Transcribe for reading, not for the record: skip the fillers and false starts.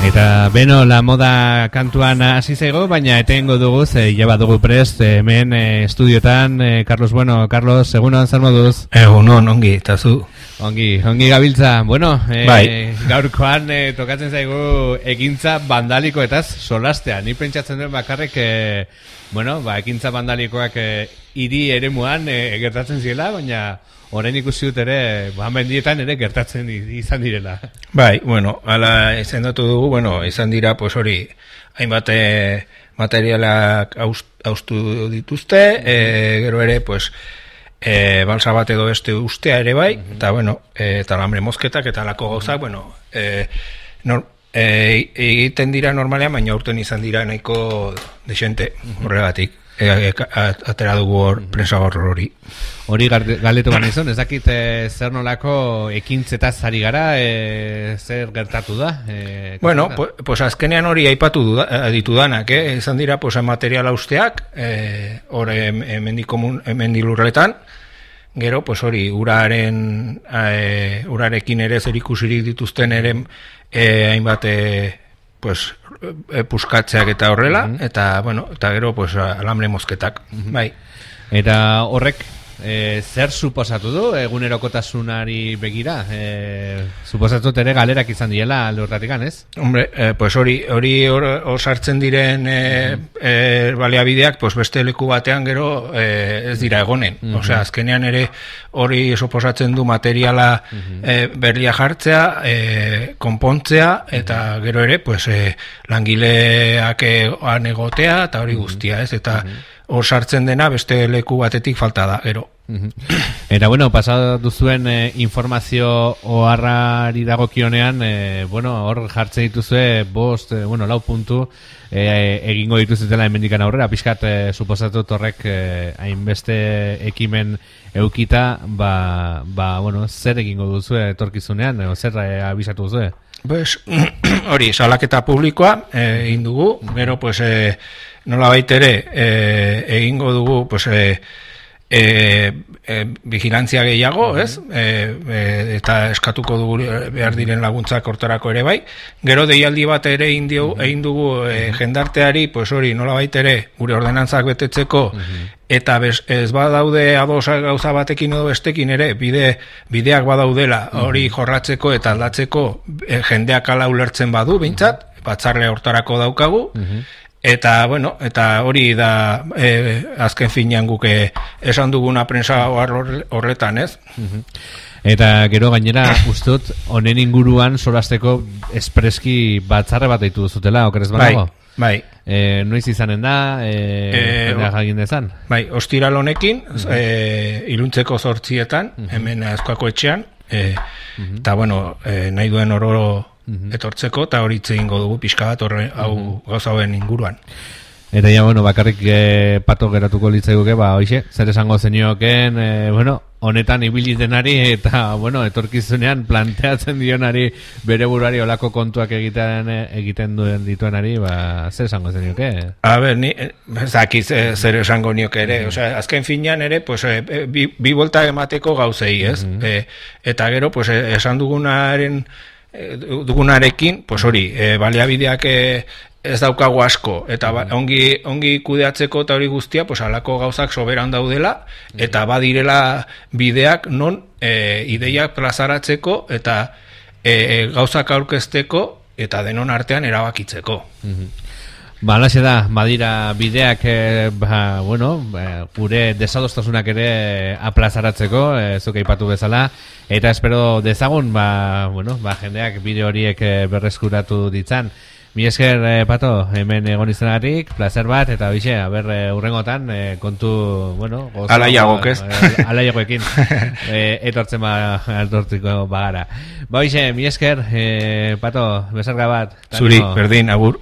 Eta beno, la moda kantuan hasi zaigo, baina etengo dugu, jeba dugu prest, hemen estudiotan, Carlos, Carlos, egunon, zer moduz? Egunon, ongi, eta zu? Ongi gabiltza, bueno, bai. Gaurkoan tokatzen zaigu ekintza bandalikoetaz solastea, ni pentsatzen duen bakarrik, ekintza bandalikoak hiri eremuan gertatzen zirela, baina orain ikusi dut ere, mendietan ere gertatzen izan direla. Bai, ala izendatu dugu, izan dira, pues hori, hainbat materialak haustu dituzte, gero ere, pues, balsa bat edo beste ustea ere bai, eta, eta alambre mozketak eta alako gauzak, egiten dira normalean, baina aurten izan dira nahiko desente horregatik. Atera dugu hor prensa hori. Hori galdetu baina izan, ez dakit zer nolako ekintzetaz ari gara, zer gertatu da? Pues azkenean hori aipatu ditudanak, izan dira material austeak, hor mendilurretan, gero, pues hori, urarekin ere zer ikusirik dituzten ere hainbat puskatzeak eta horrela, eta gero, pues, alambre mozketak, bai. Eta horrek, zer suposatu du egunerokotasunari begira? Suposatut ere galerak izan diela alde horratikan, ez? Hombre, pues hori sartzen diren baliabideak, pues beste leku batean gero ez dira egonen. Osea, azkenean ere hori suposatzen du materiala berria jartzea, konpontzea, eta gero ere, pues, langileak egotea, eta hori guztia, ez? Eta hor sartzen dena beste leku batetik falta da, gero. Eta, pasatu duzuen informazio oharrari dagokionean, hor jartzen dituzue 5, 4 puntu egingo dituzutela hemendikan aurrera, pixkat suposatut horrek hainbeste ekimen eukita, zer egingo duzue etorkizunean, zer abisatu duzue? Hori, salaketa publikoa egin dugu, gero, nolabait ere egingo dugu, vigilantzia gehiago, ez? Eta eskatuko dugu behar diren laguntzak hortarako ere bai. Gero deialdi bat ere egin dugu jendarteari, pues hori, nolabait ere gure ordenantzak betetzeko, eta ez badaude ados gauza batekin edo bestekin ere, bideak badaudela hori jorratzeko eta aldatzeko jendeak ala ulertzen badu, behintzat, batzarle hortarako daukagu, eta, eta hori da azken finean guk esan duguna prensa horretan, ez? Eta gero gainera, ustut, honen inguruan solasteko espreski batzarre bat deitu duzutela, okerez banago? Bai. Noiz izanen da, jagin dezan? Bai, ostiral honekin, iluntzeko 8:00, hemen Azkoako etxean, eta, nahi duen oro etortzeko, eta hori egingo dugu pixka bat hau gauza hauen inguruan. Eta ja, bakarrik pato geratuko litzaiguke, hoxe, zer esango zenioken, honetan ibili denari eta, etorkizunean planteatzen dionari bere buruari olako kontuak egiten duen dituenari, zer esango zenioke? Ni zakiz zer esango nioke ere, azken finean ere, bi volta emateko gauzei, ez? Eta gero, esan dugunarekin, hori, baliabideak ez daukagu asko, eta ongi kudeatzeko eta hori guztia, halako gauzak soberan daudela, eta badirela bideak non ideiak plazaratzeko, eta gauzak aurkezteko, eta denon artean erabakitzeko. Alaxe da, badira bideak gure desadostasunak ere aplazaratzeko, zuk aipatu bezala, eta espero dezagun jendeak bide horiek berreskuratu ditzan. Mi esker, Pato, hemen egon izanagatik, placer bat, eta bixe, urrengotan, kontu, alaiagok, ez? Alaiagoekin, etortzen altortziko bagara. Bixe, mi esker, Pato, besarga bat. Zuri, berdin, agur.